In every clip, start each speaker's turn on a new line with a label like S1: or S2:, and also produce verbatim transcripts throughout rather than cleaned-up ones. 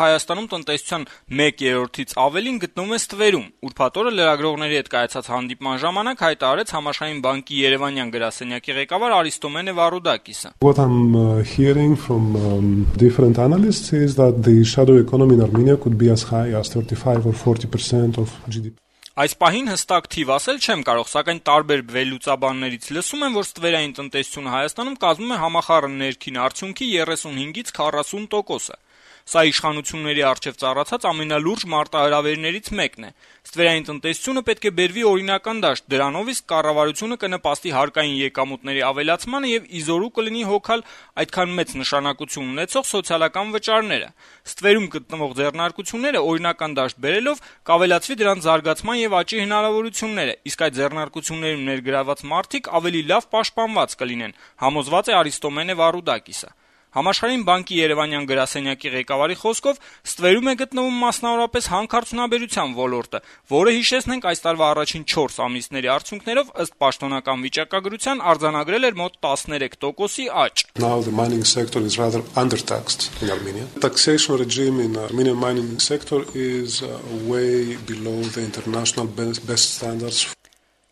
S1: Հայաստանում տնտեսության մեկ երրորդից ավելին գտնվում է ստվերում։ Ուրբաթ օրը լրագրողների հետ կայացած հանդիպման ժամանակ հայտարարեց Համաշխարհային բանկի Երևանյան գրասենյակի ղեկավար Արիստոմենե Վարուդակիսը.
S2: What I'm uh, hearing from um, different analysts is that the shadow economy in Armenia could be as high as thirty-five or forty percent of G D P.
S1: Այս պահին հստակ թիվ ասել չեմ կարող, սակայն տարբեր վերլուծաբաններից լսում եմ, որ ստվերային տնտեսությունը Հայաստանում կազմում է համախառն ներքին արդյունքի thirty-five-ից forty տոկոսը։ Սա իշխանությունների առջև ծառացած ամենալուրջ մարտահրավերներից մեկն է։ Ստվերային տնտեսությունը պետք է բերվի օրինական դաշտ, դրանով իսկ կառավարությունը կնպաստի հարկային եկամուտների ավելացմանը եւ իզորու կլինի հոգալ այդքան մեծ նշանակություն ունեցող սոցիալական վճարները։ Ստվերում գտնվող ձեռնարկությունները օրինական դաշտ բերելով կավելացվի դրանց զարգացման եւ աճի հնարավորությունները, իսկ այդ ձեռնարկություններում ներգրաված մարդիկ ավելի լավ պաշտպանված կլինեն, համոզված է Արիստոմենե Վարուդակիսը։ Համաշխարհային բանկի Երևանյան գրասենյակի ղեկավարի խոսքով ստվերում է գտնվում մասնավորապես հանքարդյունաբերության ոլորտը, որը հիշեցնենք այս տարվա առաջին չորս ամիսների արդյունքներով ըստ պաշտոնական վիճակագրության արձանագրել էր մոտ thirteen տոկոսի աճ։
S2: Now the mining sector is rather undertaxed in Armenia. Taxation regime in Armenian mining sector is uh, way below the international best standards.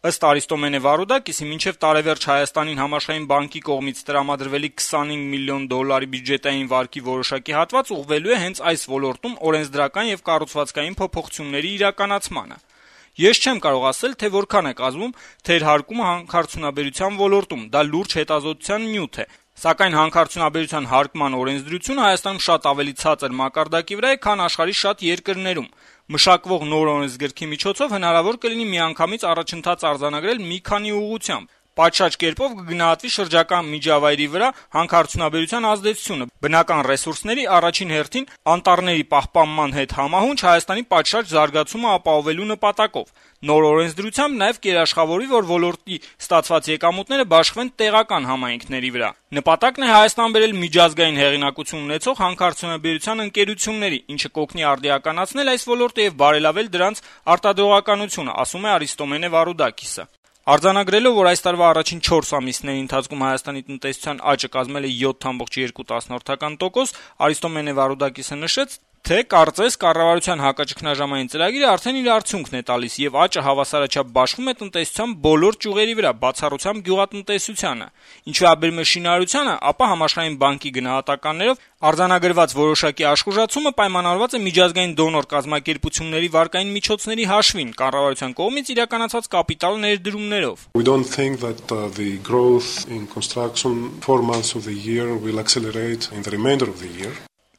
S1: Ըստ Արիստոմենե Վարուդակիսի, մինչև տարեվերջ Հայաստանին Համաշխարհային բանկի կողմից տրամադրվելիք twenty-five միլիոն դոլարի բյուջետային վարկի որոշակի հատված ուղղվելու է հենց այս ոլորտում օրենսդրական եւ կառուցվածքային փոփոխությունների իրականացմանը։ Ես չեմ կարող ասել, թե որքան է կազմում թերհարկումը հանքարդյունաբերության ոլորտում, դա լուրջ հետազոտության նյութ է, սակայն հանքարդյունաբերության հարկման օրենսդրությունը Հայաստանում շատ ավելի ցածր մակարդակի վրա է, քան աշխարհի շատ երկրներում։ Մշակվող նոր օրենսգրքի միջոցով հնարավոր կլինի միանգամից առաջընթաց արձանագրել մի քանի ուղղությամբ։ Պատշաճ կերպով կգնահատվի շրջակա միջավայրի վրա հանքարդյունաբերության ազդեցությունը, բնական ռեսուրսների առաջին հերթին անտառների պահպանման հետ համահունչ Հայաստանի պատշաճ զարգացումը ապահովելու նպատակով։ Նոր օրենսդրությամբ նաև կերաշխավորվի, որ ոլորտի ստացված եկամուտները բաշխվեն տեղական համայնքների վրա։ Նպատակն է Հայաստան բերել միջազգային հեղինակություն ունեցող հանքարդյունաբերության ընկերությունների, ինչը կօգնի արդիականացնել այս ոլորտը եւ բարելավել դրանց արտադրողականությունը, ասում է Արիստոմենե Վարուդակիսը։ Արձանագրելով, որ այս տարվա առաջին չորս ամիսների ընթացքում Հայաստանի տնտեսության աճը կազմել է seven point two տոկոս, Արիստոմենե Վարուդակիսը նշեց, թե կարծես կառավարության հակաճգնաժամային ծրագիրը արդեն իր արդյունքն է տալիս եւ աճը հավասարաչափ բաշխվում է տնտեսության բոլոր ճյուղերի վրա, բացառությամբ գյուղատնտեսությանը։ Ինչ վերաբերում է շինարարությանը, ապա Համաշխարհային բանկի գնահատականներով արձանագրված որոշակի աշխուժացումը պայմանավորված է միջազգային դոնոր կազմակերպությունների վարկային միջոցների հաշվին, կառավարության կողմից իրականացված կապիտալ ներդրումներով։
S2: We don't think that uh, the growth in construction four months of the year will accelerate in the remainder of the year.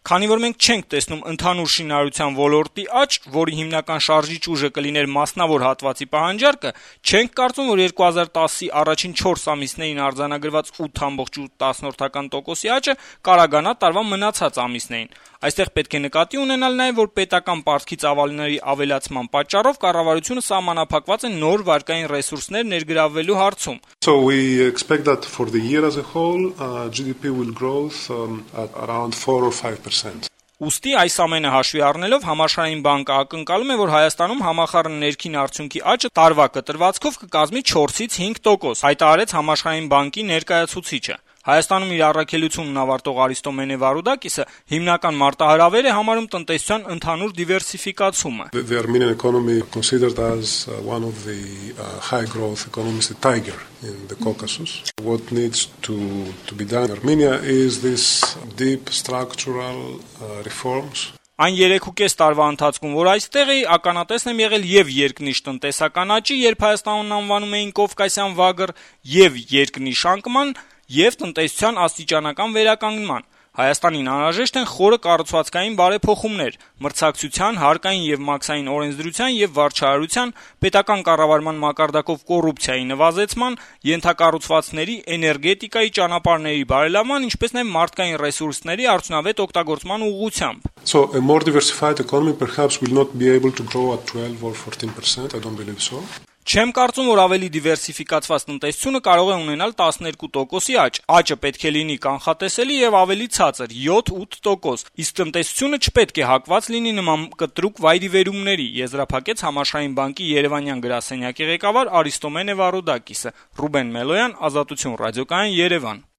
S1: Քանի որ մենք չենք տեսնում ընդհանուր շինարարության ոլորտի աճ, որի հիմնական շարժիչ ուժը կլիներ մասնավոր հատվածի պահանջարկը, չենք կարծում, որ twenty ten-ի առաջին չորս ամիսներին արձանագրված eight point eight տոկոսի աճը կարագանա տարվա մնացած ամիսներին։ Այստեղ պետք է նկատի ունենալ նաև, որ պետական պարտքի ծավալների ավելացման պատճառով կառավարությունը սահմանափակված է նոր վարկային ռեսուրսներ ներգրավելու հարցում։
S2: So we expect that for the year as a whole, uh, G D P will grow um, at around four or five percent.
S1: Ուստի այս ամենը հաշվի առնելով Համաշխարհային բանկը ակնկալում է, որ Հայաստանում համախառն ներքին արդյունքի աճը տարվա կտրվածքով կկազմի fourից five տոկոս, հայտարարեց Համաշխարհային բանկի ներկայացուցիչը։ Հայաստանում իր առաքելությունն ավարտող Արիստոմենե Վարուդակիսը հիմնական մարտահրավեր է համարում տնտեսության ընդհանուր դիվերսիֆիկացումը։
S2: The Armenian economy considered as uh, one of the uh, high growth economies, the tiger in the Caucasus. What needs to to be done in Armenia is this deep structural uh, reforms.
S1: Այն երեքուկես տարվա ընթացքում, որ այստեղ էի, ականատեսն եմ եղել եւ երկնիշ տնտեսական աճի, երբ Հայաստանն անվանում էին Կովկասյան վագր, եւ երկնիշ անկման, եւ տնտեսության աստիճանական վերականգնման։ Հայաստանին անհրաժեշտ են խորը կառուցվածքային բարեփոխումներ, մրցակցության, հարկային եւ մաքսային օրենսդրության եւ վարչահարության, պետական կառավարման մակարդակով կոռուպցիայի նվազեցման, ենթակառուցվածքների, էներգետիկայի ճանապարհների բարելավման, ինչպես նաեւ մարդկային ռեսուրսների արդյունավետ օգտագործման ուղղությամբ։
S2: So a more diversified economy perhaps will not be able to grow at twelve or fourteen percent. I don't believe so.
S1: Չեմ կարծում, որ ավելի դիվերսիֆիկացված տնտեսությունը կարող է ունենալ twelve տոկոսի աճ։ Աճը պետք է լինի կանխատեսելի եւ ավելի ցածր՝ seven-eight տոկոս։ Իսկ տնտեսությունը չպետք է հակված լինի նման կտրուկ վայրիվերումների, եզրափակեց Համաշխարհային բանկի Երևանյան գրասենյակի ղեկավար Արիստոմենե Վարուդակիսը։ Ռուբեն Մելոյան, Ազատություն ռադիոկայան, Երևան։